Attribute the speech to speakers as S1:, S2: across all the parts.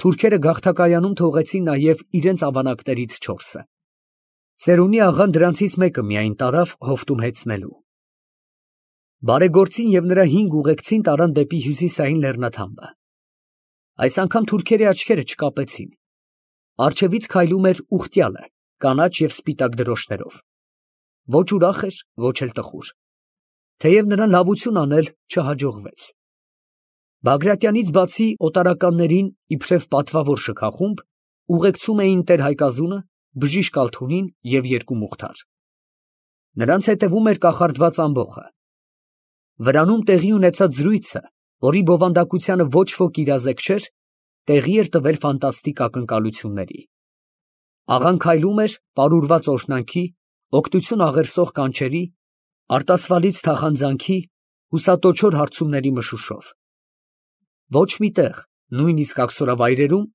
S1: Թուրքերը գաղթակայանում թողեցին նաև իրենց ավանակներից 4-ը։ Ծերունի աղան դրանցից մեկը միայն տարավ հովտում հեծնելու։ Բարեգործին և նրա 5 ուղեկցին տարան դեպի հյուսիսային լեռնաթափը։ Այս անգամ թուրքերի աչքերը չկապեցին։ Առջևից քայլում էր ուխտյալը, կանաչ և սպիտակ դրոշներով։ Ոչ ուրախ էր, ոչ էլ տխուր։ Թեև նրան լավություն անել չհաջողվեց։ Բագրատյանից բացի օտարականներին, իբրև պատվավոր շքախումբ, ուղեկցում էին տեր-Հայկազունը, բժիշկ Ալթունին և 2 մուղթար։ Նրանց հետևում էր կախարդված ամբոխը։ Վրանում տեղի ունեցած զրույցը, որի բովանդակությանը ոչ ոք իրազեկ չէր, տեղի էր տվել ֆանտաստիկ ակնկալությունների։ Աղան քայլում էր պարուրված օրհնանքի, օգնություն աղերսող կանչերի, արտասվալից թախանձանքի, հուսատոչոր հարցումների մշուշով։ Ոչ մի տեղ, նույնիսկ աքսորավայրերում,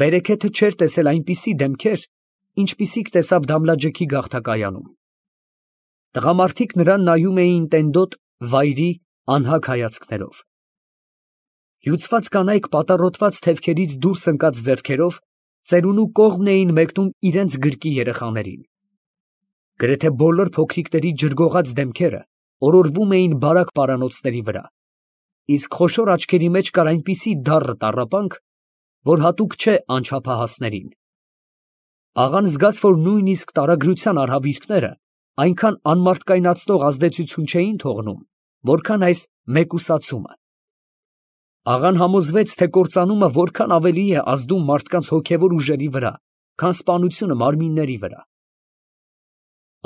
S1: բերեքեթը չէր տեսել այնպիսի դեմքեր, ինչպիսիք տեսավ Դամլաջեքի գաղթակայանում։ Տղամարդիկ նրան նայում էին տենդոտ, վայրի, անհագ հայացքներով։ Հյուծված կանայք պատառոտված թևքերից դուրս ընկած ձեռքերով ծերունու կողմն էին մեկնում իրենց գրկի երեխաներին։ Գրեթե բոլոր փոքրիկների ջրգողած դեմքերը օրորվում էին բարակ պարանոցների վրա, իսկ խոշոր աչքերի մեջ կար այնպիսի դառը տառապանք, որ հատուկ չէ անչափահասներին։ Աղան զգաց, որ նույնիսկ տարագրության արհավիրքները այնքան անմարդկայնացնող ազդեցություն չէին թողնում, որքան այս մեկուսացումը։ Աղան համոզվեց, թե կործանումը որքան ավելի է ազդում մարդկանց հոգևոր ուժերի վրա, քան սպանությունը մարմինների վրա։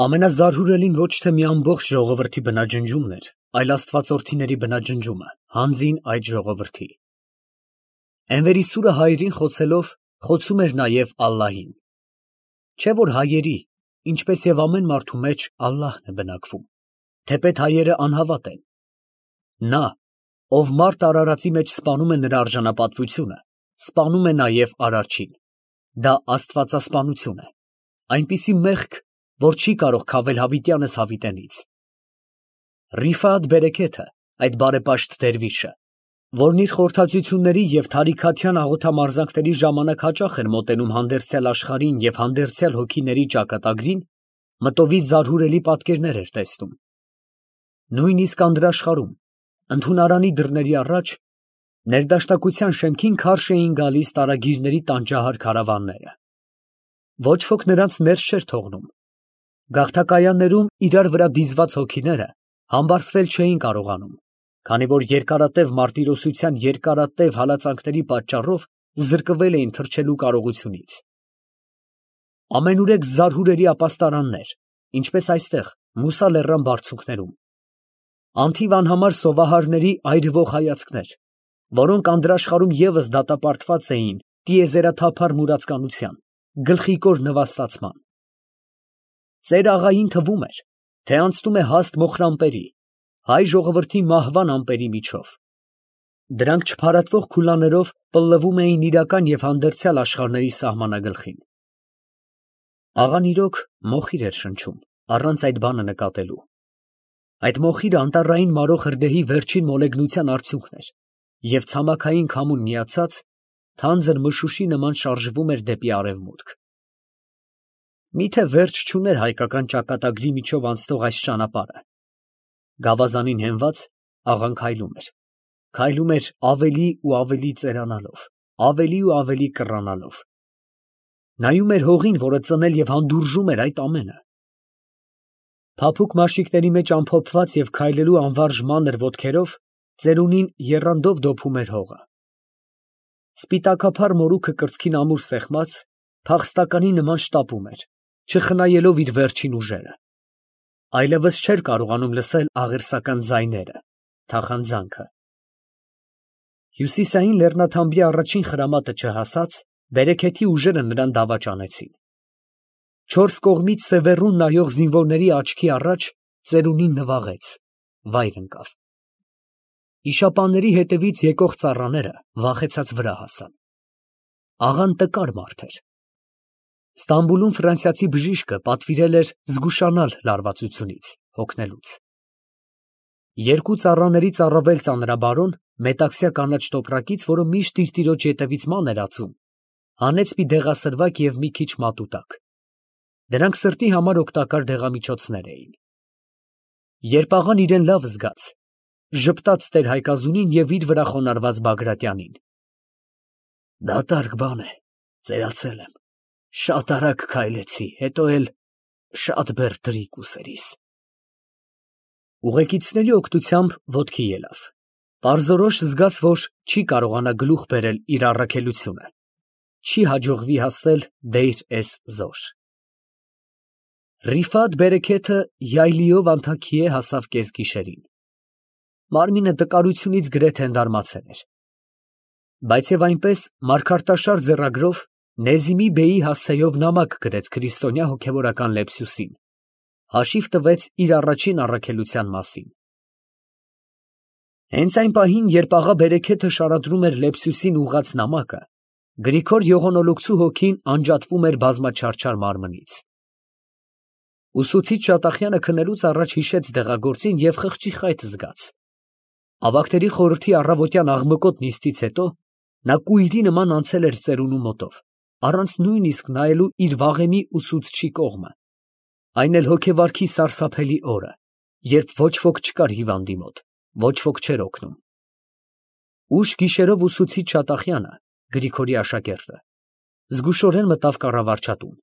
S1: Ամենազարհուրելին ոչ թե մի ամբողջ ժողովրդի բնաջնջումն էր, այլ աստվածորդիների բնաջնջումը, հանձին այդ ժողովրդի։ Էնվերի սուրը հայերին խոցելով, խոցում էր նաև Ալլահին։ Չէ՞ որ հայերի, ինչպես և ամեն մարդու մեջ Ալլահն է բնակվում, թեպետ հայերը անհավատ են։ Նա, ով մարդ արարածի մեջ սպանում է նրա արժանապատվությունը, սպանում է նաև արարչին։ Դա աստվածասպանություն է, այնպիսի մեղք, որ չի կարող քավել հավիտյանս հավիտենից։ Ռիֆաթ բերեքեթը, այդ բարեպաշտ դերվիշը, որն իր խորհրդածությունների և թարիքաթյան աղոթամարզանքների ժամանակ հաճախ էր մոտենում հանդերձյալ աշխարհին և հանդերձյալ հոգիների ճակատագրին, մտովի զարհուրելի պատկերներ էր տեսնում։ Նույնիսկ անդրաշխարհում, ընդունարանի դռների առաջ, ներդաշնակության շեմքին քարշ էին գալիս տարագիրների տանջահար քարավանները։ Ոչ ոք նրանց ներս չէր թողնում։ Գաղթակայաններում իրար վրա դիզված հոգիները համբարձվել չէին կարողանում, քանի որ երկարատև մարտիրոսության երկարատև հալածանքների պատճառով զրկվել էին թռչելու կարողությունից։ Ամենուրեք զարհուրելի ապաստարաններ, ինչպես այստեղ, Մուսա լեռան բարձունքներում։ Անթիվ անհամար սովահարների այրվող հայացքներ, որոնք անդրաշխարհում ևս դատապարտված էին տիեզերաթափառ մուրացկանության, գլխիկոր նվաստացման։ Ծեր աղային թվում էր, թե անցնում է հաստ մոխրամպերի, հայ ժողովրդի մահվան ամպերի միջով։ Դրանք չփարատվող քուլաներով պլլվում էին իրական և հանդերձյալ աշխարհների սահմանագլխին։ Աղան իրոք մոխիր էր շնչում, առանց այդ բանը նկատելու։ Այդ մոխիրը անտառային մարող հրդեհի վերջին մոլեգնության արդյունքն էր, և ցամաքային քամուն միացած, թանձր մշուշի նման շարժվում էր դեպի արևմուտք։ Միթե վերջ չուներ հայկական ճակատագրի միջով անցնող այս ճանապարհը։ Գավազանին հենված, աղան քայլում էր ավելի ու ավելի ծերանալով, ավելի ու ավելի կռանալով։ Նայում էր հողին, որը ծնել և հանդուրժում էր այդ ամենը։ Փափուկ մաշիկների մեջ ամփոփված և քայլելու անվարժ մանր ոտքերով ծերունին եռանդով դոփում էր հողը։ Սպիտակափառ մորուքը կրծքին ամուր սեղմած, փախստականի նման շտապում էր, չխնայելով իր վերջին ուժերը։ Այլևս չէր կարողանում լսել աղերսական ձայները, թախանձանքը։ Հյուսիսային լեռնաթամբի առաջին խրամատը չհասած, բերեքեթի ուժերը նրան դավաճանեցին։ 4 կողմից սևեռուն նայող զինվորների աչքի առաջ ծերունին նվաղեց, վայր ընկավ։ Իշապանների հետևից եկող ծառաները վախեցած վրա հասան։ Աղան տկար մարդ էր։ Ստամբուլում ֆրանսիացի բժիշկը պատվիրել էր զգուշանալ լարվածությունից, հոգնելուց։ 2 ծառաներից առավել ծանրաբարոն, մետաքսյա կանաչ տոպրակից, որը միշտ իր տիրոջ ետևից ման էր ածում, Հանեց մի դեղասրվակ և մի քիչ մատուտակ։ Դրանք սրտի համար օգտակար դեղամիջոցներ էին։ Երբ աղան իրեն լավ զգաց, ժպտաց տեր-Հայկազունին և իր վրա խոնարհված Բագրատյանին. «Դատարկ բան է, ծերացել եմ, շատ արագ քայլեցի, հետո էլ շատ բեռ տրիք ուզելիս»։ Ուղեկիցների օգնությամբ ոտքի ելավ։ Պարզորոշ զգաց, որ չի կարողանա գլուխ բերել իր առաքելությունը, չի հաջողվի հասնել Դեյր էզ֊Զոր։ Ռիֆատ բերեքեթը յայլիով անթաքիե հասավ կեսգիշերին։ Մարմինը տկարությունից գրեթե ընդարմացել էր։ Բայց և այնպես մարգարտաշար ձեռագրով Նեզիմի բեի հասցեով նամակ գրեց քրիստոնյա հոգևորական Լեպսյուսին, հաշիվ տվեց իր առաջին առաքելության մասին։ Հենց այն պահին, երբ աղա բերեքեթը շարադրում էր Լեպսյուսին ուղղած նամակը, Գրիգոր Յողոնոլուկսու հոգին անջատվում էր բազմաչարչար մարմնից։ Ուսուցիչ Շատախյանը քնելուց առաջ հիշեց դեղագործին և խղճի խայտ զգաց։ Ավագների խորհրդի առավոտյան աղմկոտ նիստից հետո նա կույրի նման անցել էր ծերունու մոտով, առանց նույնիսկ նայելու իր վաղեմի ուսուցչի կողմը, այն էլ հոգեվարքի սարսափելի օրը, երբ ոչ ոք չկար հիվանդի մոտ, ոչ ոք չէր օգնում։ Ուշ գիշերով ուսուցիչ Շատախյանը, Գրիգորի աշակերտը, զգուշորեն մտավ կառավարչատուն,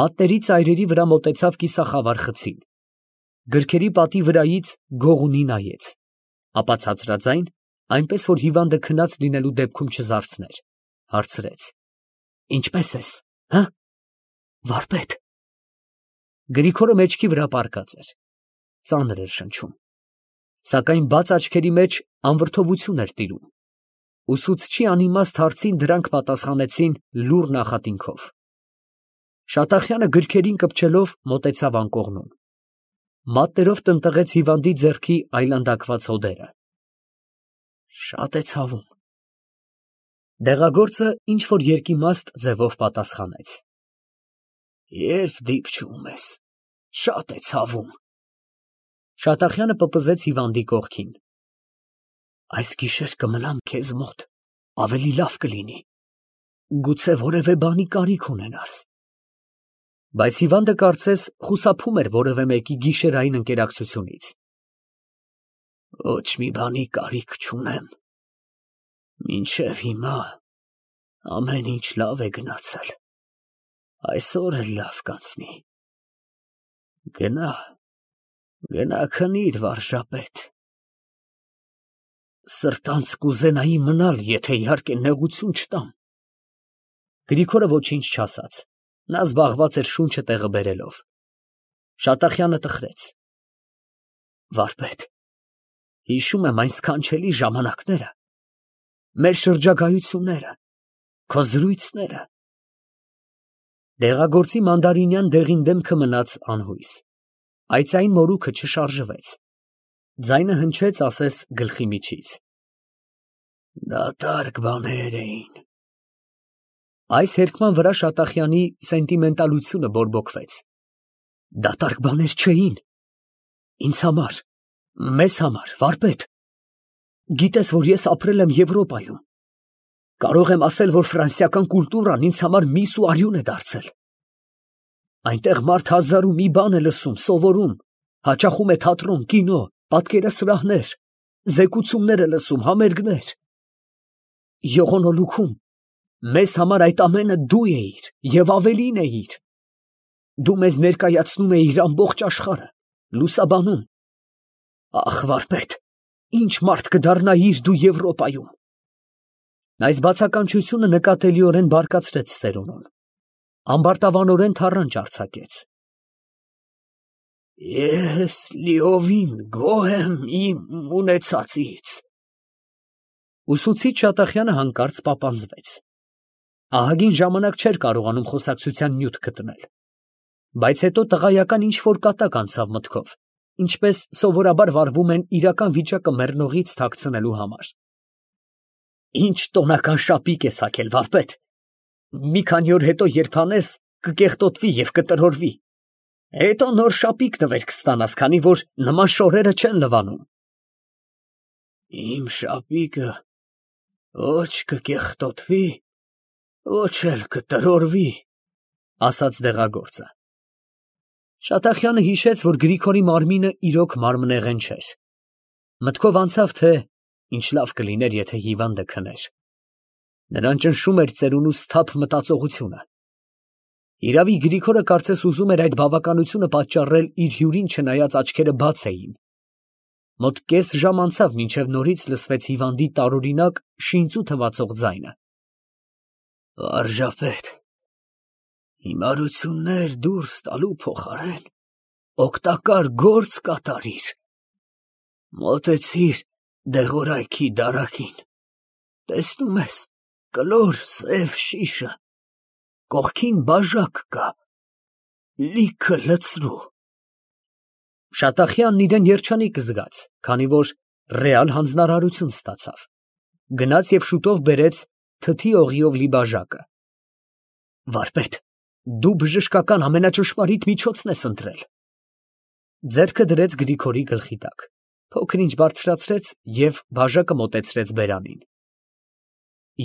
S1: մատների ծայրերի վրա մոտեցավ կիսախավար խցին, գրքերի պատի վրայից գողունի նայեց, ապա ցածրաձայն, այնպես որ հիվանդը քնած լինելու դեպքում չզարթներ, հարցրեց. «Ինչպե՞ս ես, հը, վարպետ»։ Գրիգորը մեջքի վրա պառկած էր, ծանր էր շնչում, սակայն բաց աչքերի մեջ անվրդովություն էր տիրում։ Ուսուցչի անիմաստ հարցին դրանք պատասխանեցին լուռ նախատինքով։ Շատախյանը գրքերին կպչելով մոտեցավ անկողնուն, մատներով տնտղեց հիվանդի ձեռքի այլանդակված հոդերը։ «Շատ է ցավում»։ Դեղագործը ինչ֊որ երկիմաստ ձևով պատասխանեց. «Երբ դիպչում ես, շատ է ցավում»։ Շատախյանը պպզեց հիվանդի կողքին։ «Այս գիշեր կմնամ քեզ մոտ, ավելի լավ կլինի, գուցե որևէ բանի կարիք ունենաս»։ Բայց հիվանդը կարծես խուսափում էր որևէ մեկի գիշերային ընկերակցությունից։ «Ոչ մի բանի կարիք չունեմ, մինչև հիմա ամեն ինչ լավ է գնացել, այսօր էլ լավ կանցնի։ Գնա, գնա քնիր, վարժապետ։ Սրտանց կուզենայի մնալ, եթե իհարկե նեղություն չտամ»։ Գրիգորը ոչինչ չասաց, նա զբաղված էր շունչը տեղը բերելով։ Շատախյանը տխրեց. «Վարպետ, հիշում եմ այն սքանչելի ժամանակները, մեր շրջագայությունները, քո զրույցները»։ Դեղագործի մանդարինյան դեղին դեմքը մնաց անհույս, այծային մորուքը չշարժվեց, ձայնը հնչեց ասես գլխի միջից. «Դատարկ բաներ էին»։ Այս հերքման վրա Շատախյանի սենտիմենտալությունը բորբոքվեց։ «Դատարկ բաներ չէին, ինձ համար, մեզ համար, վարպետ, գիտես, որ ես ապրել եմ Եվրոպայում, կարող եմ ասել, որ ֆրանսիական կուլտուրան ինձ համար միս ու արյուն է դարձել։ Այնտեղ մարդ հազար ու մի բան է լսում, սովորում, հաճախում է թատրոն, կինո, պատկերասրահներ, զեկուցումներ է լսում, համերգներ։ Յողոնոլուքում մեզ համար այդ ամենը դու էիր և ավելին էիր։ Դու մեզ ներկայացնում էիր ամբողջ աշխարհը, լուսաբանում։ Ախ, վարպետ, ինչ մարդ կդառնայիր դու Եվրոպայում»։ Այս բացականչությունը նկատելիորեն բարկացրեց ծերունուն, ամբարտավանորեն թառանչ արձակեց։ «Ես լիովին գոհ եմ իմ ունեցածից»։ Ուսուցիչ Շատախյանը հանկարծ պապանձվեց։ Ահագին ժամանակ չէր կարողանում խոսակցության նյութ գտնել, բայց հետո տղայական ինչ֊որ կատակ անցավ մտքով, ինչպես սովորաբար վարվում են իրական վիճակը մեռնողից թաքցնելու համար։ «Ինչ տոնական շապիկ ես հագել, վարպետ, մի քանի օր հետո երբ հանես, կկեղտոտվի և կտրորվի, հետո նոր շապիկ նվեր կստանաս, քանի որ նման շորերը չեն լվանում»։ «Իմ շապիկը ոչ կկեղտոտվի, Ոչ էլ կտրորվի, ասաց դեղագործը։ Շատախյանը հիշեց, որ Գրիգորի մարմինը իրոք մարմնեղեն չէր։ Մտքով անցավ, թե ինչ լավ կլիներ, եթե հիվանդը քներ։ Նրան ճնշում էր ծերունու սթափ մտածողությունը։ Իրավի Գրիգորը կարծես ուզում էր այդ բավականությունը պատճառել իր հյուրին, չնայած աչքերը բաց էին։ Մոտ կես ժամ անցավ, մինչև նորից լսվեց հիվանդի տարօրինակ շինծու թվացող ձայնը։ Վարժապետ, հիմարություններ դուրս տալու փոխարեն օգտակար գործ կատարիր։ Մոտեցիր դեղորայքի դարակին, տեսնում ես, կլոր սև շիշը, կողքին բաժակ կա, լիքը լցրու։ Շատախյանն իրեն երջանիկ զգաց, քանի որ ռեալ հանձնարարություն ստացավ։ Գնաց և շուտով բերեց թթի օղիով լի բաժակը։ Վարպետ, դու բժշկական ամենաճշմարիտ միջոցն ես ընտրել։ Ձեռքը դրեց Գրիգորի գլխի տակ, փոքր-ինչ բարձրացրեց և բաժակը մոտեցրեց բերանին։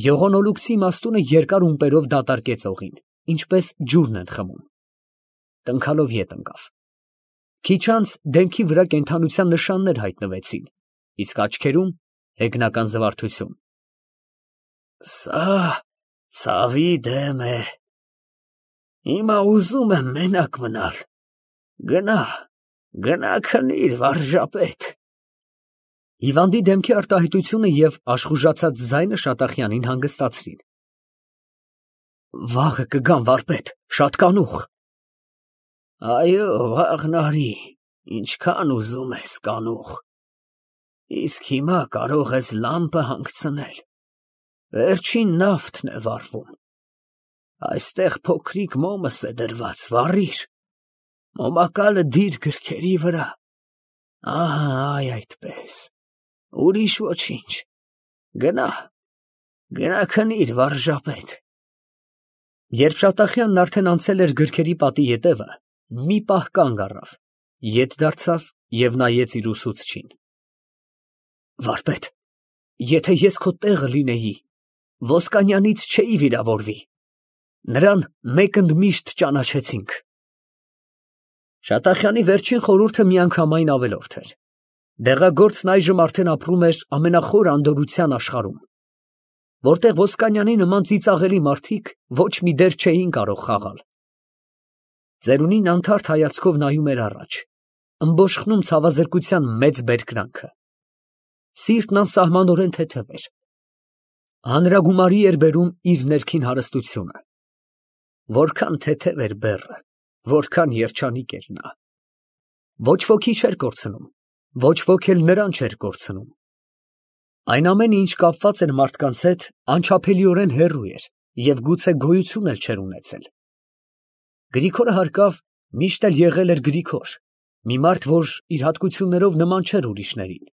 S1: Եղոնոլուկցի իմաստունը երկար ումպերով դատարկեց օղին, ինչպես ջուրն են խմում։ Տնքալով ետ ընկավ։ Քիչ անց դեմքի վրա կենդանության նշաններ հայտնվեցին, իսկ աչքերում հեգնական զվարթություն։ Սա ցավի դեմ է։ Հիմա ուզում եմ մենակ մնալ։ Գնա քնիր, վարժապետ։ Հիվանդի դեմքի արտահայտությունը և աշխուժացած ձայնը Շատախյանին հանգստացրին։ Վաղը կգամ, վարպետ, շատ կանուխ։ Այո, վաղն արի, ինչքան ուզում ես կանուխ։ Իսկ հիմա կարող ես լամպը հանգցնել։ Վերջին նավթն է վառվում։ Այստեղ փոքրիկ մոմս է դրված, վառիր։ Մոմակալը դիր գրքերի վրա։ Ահա, այ այդպես։ Ուրիշ ոչինչ։ Գնա քնիր, վարժապետ։ Երբ Շատախյանն արդեն անցել էր գրքերի պատի ետևը, մի պահ կանգ առավ, ետ դարձավ և նայեց իր ուսուցչին։ Վարպետ, եթե ես քո տեղը լինեի, Ոսկանյանից չէի վիրավորվի։ Նրան մեկ ընդմիշտ ճանաչեցինք։ Շատախյանի վերջին խորհուրդը միանգամայն ավելորդ էր։ Դեղագործն այժմ արդեն ապրում էր ամենախոր անդորրության աշխարհում, որտեղ Ոսկանյանի նման ծիծաղելի մարդիկ ոչ մի դեր չէին կարող խաղալ։ Ծերունին անթարթ հայացքով նայում էր առաջ, ըմբոշխնում ցավազրկության մեծ բերկրանքը։ Սիրտն անսահմանորեն թեթև էր։ Հանրագումարի էր բերում իր ներքին հարստությունը։ Որքան թեթև էր բեռը, որքան երջանիկ էր նա։ Ոչ ոքի չէր կորցնում, ոչ ոք էլ նրան չէր կորցնում։ Այն ամենը, ինչ կապված էր մարդկանց հետ, անչափելիորեն հեռու էր և գուցե գոյություն էլ չէր ունեցել։ Գրիգորը հարկավ միշտ էլ եղել էր Գրիգոր, մի մարդ, որ իր հատկություններով նման չէր ուրիշներին։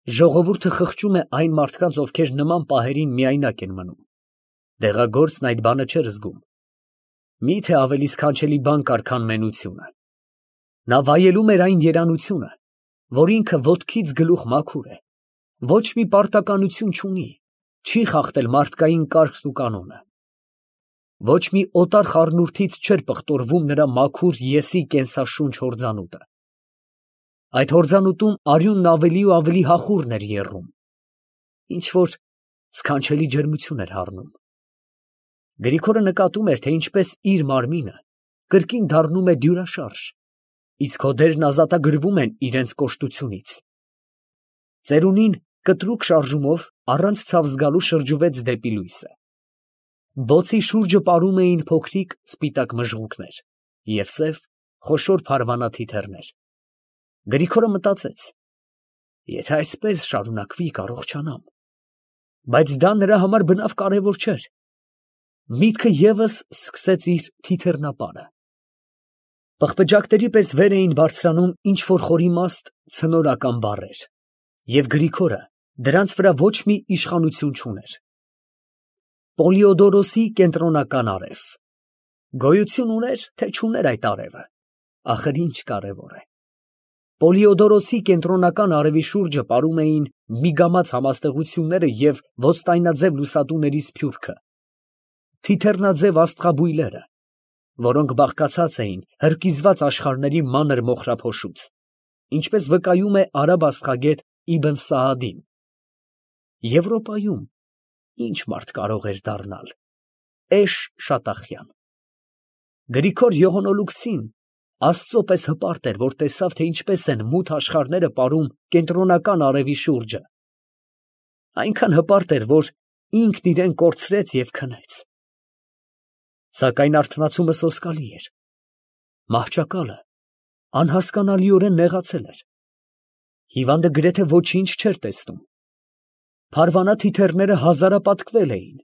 S1: Ժողովուրդը խղճում է այն մարդկանց, ովքեր նման պահերին միայնակ են մնում։ Դեղագործն այդ բանը չէր զգում։ Մի՞թե ավելի սքանչելի բան կար, քան մենությունը։ Նա վայելում էր այն երանությունը, որ ինքը ոտքից գլուխ մաքուր է, ոչ մի պարտականություն չունի, չի խախտել մարդկային կարգն ու կանոնը։ Ոչ մի օտար խառնուրդից չէր պղտորվում նրա մաքուր եսի կենսաշունչ հորձանուտը։ Այդ հորձանուտում արյունն ավելի ու ավելի հախուռն էր եռում, ինչ֊որ սքանչելի ջերմություն էր հառնում։ Գրիգորը նկատում էր, թե ինչպես իր մարմինը կրկին դառնում է դյուրաշարժ, իսկ հոդերն ազատագրվում են իրենց կոշտությունից։ Ծերունին կտրուկ շարժումով առանց ցավ զգալու շրջվեց դեպի լույսը։ Բոցի շուրջը պարում էին փոքրիկ սպիտակ մժղուկներ և սև խոշոր փարվանա թիթեռներ։ Գրիգորը մտածեց. եթե այսպես շարունակվի, կառողջանամ։ Բայց դա նրա համար բնավ կարևոր չէր։ Միտքը ևս սկսեց իր թիթեռնապարը։ Պղպջակների պես վեր էին բարձրանում ինչ֊որ խորիմաստ ցնորական բառեր, և Գրիգորը դրանց վրա ոչ մի իշխանություն չուներ։ Պոլիոդորոսի կենտրոնական արև։ Գոյություն ուներ, թե չուներ այդ արևը, ախր ինչ կարևոր է։ Պոլիոդորոսի կենտրոնական արևի շուրջը պարում էին միգամած համաստեղությունները և ոստայնաձև լուսատուների սփյուռքը, թիթեռնաձև աստղաբույլերը, որոնք բաղկացած էին հրկիզված աշխարհների մանր մոխրափոշուց, ինչպես վկայում է արաբ աստղագետ Իբն Սաադին։ Եվրոպայում ինչ մարդ կարող էր դառնալ։ Էշ Շատախյան։ Գրիգոր Յողոնոլուկսին Աստծո պես հպարտ էր, որ տեսավ, թե ինչպես են մութ աշխարհները ապարում կենտրոնական արևի շուրջը։ Այնքան հպարտ էր, որ ինքն իրեն կորցրեց և քնեց։ Սակայն արթնացումը սոսկալի էր։ Մահճակալը անհասկանալիորեն նեղացել էր։ Հիվանդը գրեթե ոչինչ չէր տեսնում։ Փարվանա թիթեռները հազարապատկվել էին,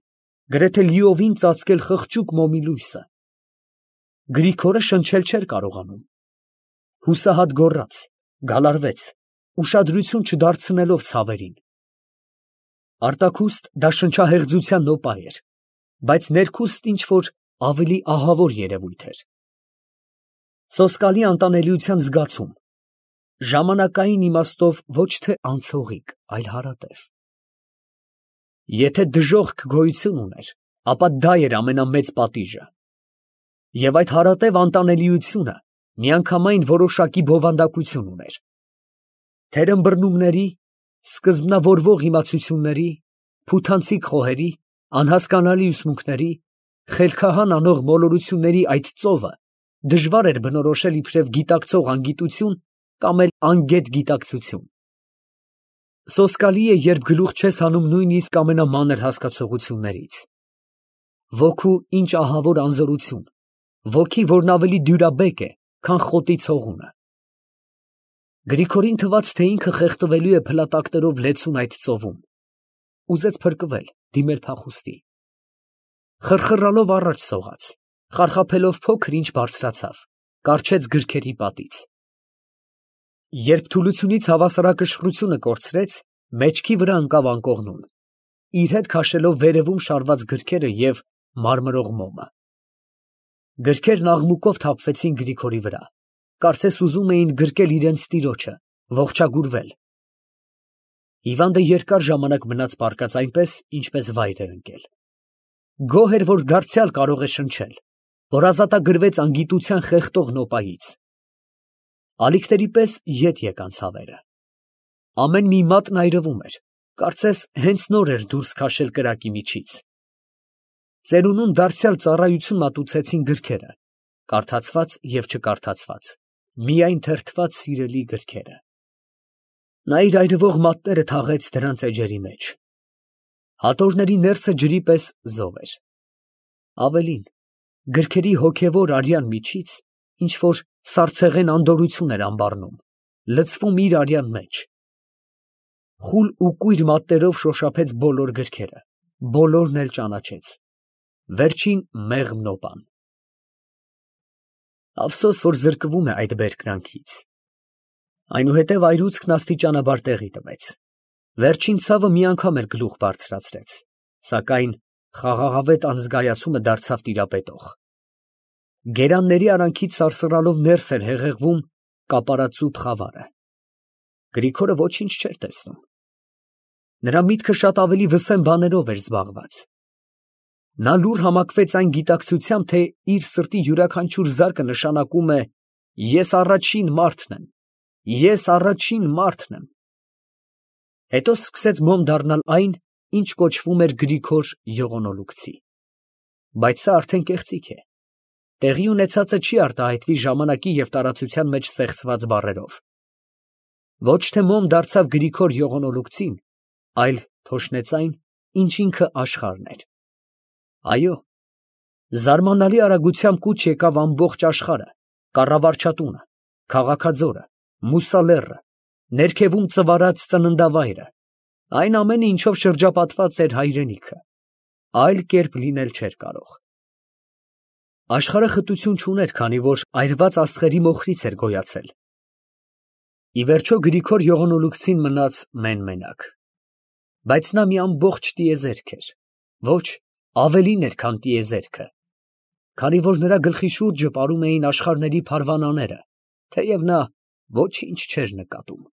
S1: գրեթե լիովին ծածկել խղճուկ մոմի լույսը։ Գրիգորը շնչել չէր կարողանում։ Հուսահատ գոռաց, գալարվեց, ուշադրություն չդարձնելով ցավերին։ Արտաքուստ դա շնչահեղձության նոպա էր, բայց ներքուստ ինչ֊որ ավելի ահավոր երևույթ էր։ Սոսկալի անտանելիության զգացում, ժամանակային իմաստով ոչ թե անցողիկ, այլ հարատև։ Եթե դժոխք գոյություն ուներ, ապա դա էր ամենամեծ պատիժը։ Եվ այդ հարատև անտանելիությունը միանգամայն որոշակի բովանդակություն ուներ։ Թերմբռնումների, սկզբնավորվող իմացությունների, փութանցիկ խոհերի, անհասկանալի ուսմունքների, խելքահան անող մոլորությունների այդ ծովը դժվար էր բնորոշել իբրև գիտակցող անգիտություն կամ էլ անգետ գիտակցություն։ Սոսկալի է, երբ գլուխ չես հանում նույնիսկ ամենամանր հասկացություններից։ Ոգու ինչ ահավոր անզորություն, ոգի, որն ավելի դյուրաբեկ է, քան խոտի ցողունը։ Գրիգորին թվաց, թե ինքը խեղդվելու է փլատակներով լեցուն այդ ծովում։ Ուզեց փրկվել, դիմել փախուստի։ Խռխռալով առաջ սողաց, խարխափելով փոքր ինչ բարձրացավ, կառչեց գրքերի պատից։ Երբ թուլությունից հավասարակշռությունը կորցրեց, մեջքի վրա ընկավ անկողնուն, իր հետ քաշելով վերևում շարված գրքերը և մարմրող մոմը։ Գրքերն աղմուկով թափվեցին Գրիգորի վրա, կարծես ուզում էին գրկել իրենց տիրոջը, ողջագուրվել։ Հիվանդը երկար ժամանակ մնաց պառկած այնպես, ինչպես վայր էր ընկել։ Գոհ էր, որ դարձյալ կարող է շնչել, որ ազատագրվեց անգիտության խեղդող նոպայից։ Ալիքների պես ետ եկան ցավերը։ Ամեն մի մատն այրվում էր, կարծես հենց նոր էր դուրս քաշել կրակի միջից։ Ծերունուն դարձյալ ծառայություն մատուցեցին գրքերը, կարդացված և չկարդացված, միայն թերթված սիրելի գրքերը։ Նա իր այրվող մատները թաղեց դրանց էջերի մեջ։ Հատորների ներսը ջրի պես զով էր։ Ավելին, գրքերի հոգևոր արյան միջից ինչ֊որ սառցեղեն անդորրություն էր անբառնում, լցվում իր արյան մեջ։ Խուլ ու կույր մատներով շոշափեց բոլոր գրքերը, բոլորն էլ ճանաչեց։ Վերջին մեղմ նոպան։ Ափսոս, որ զրկվում է այդ բերկրանքից։ Այնուհետև այրուցքն աստիճանաբար տեղի տվեց։ Վերջին ցավը մի անգամ էլ գլուխ բարձրացրեց, սակայն խաղաղավետ անզգայացումը դարձավ տիրապետող։ Գերանների արանքից սարսռալով ներս էր հեղեղվում կապարածուփ խավարը։ Գրիգորը ոչինչ չէր տեսնում։ Նրա միտքը շատ ավելի վսեմ բաներով էր զբաղված։ Նա լուռ համակվեց այն գիտակցությամբ, թե իր սրտի յուրաքանչյուր զարկը նշանակում է «Ես առաջին մարդն եմ, ես առաջին մարդն եմ»։ Հետո սկսեց մոմ դառնալ այն, ինչ կոչվում էր Գրիգոր Յողոնոլուկցի։ Բայց սա արդեն կեղծիք է։ Տեղի ունեցածը չի արտահայտվի ժամանակի և տարածության մեջ սեղծված բառերով։ Ոչ թե մոմ դարձավ Գրիգոր Յողոնոլուկցին, այլ թոշնեց այն, ինչ ինքը աշխարհն էր։ Այո, զարմանալի արագությամբ կուչ եկավ ամբողջ աշխարհը, կառավարչատունը, քաղաքաձորը, Մուսալեռը, ներքևում ծվարած ծննդավայրը, այն ամենը, ինչով շրջապատված էր հայրենիքը, այլ կերպ լինել չէր կարող։ Աշխարհը խտություն չուներ, քանի որ այրված աստղերի մոխրից էր գոյացել։ Ի վերջո Գրիգոր Յողոնոլուկցին մնաց մեն֊մենակ։ Բայց նա մի ամբողջ տիեզերք էր, ոչ, ավելին էր, քան տիեզերքը, քանի որ նրա գլխի շուրջը ապարում էին աշխարհների փարվանաները, թեև նա ոչինչ չէր նկատում։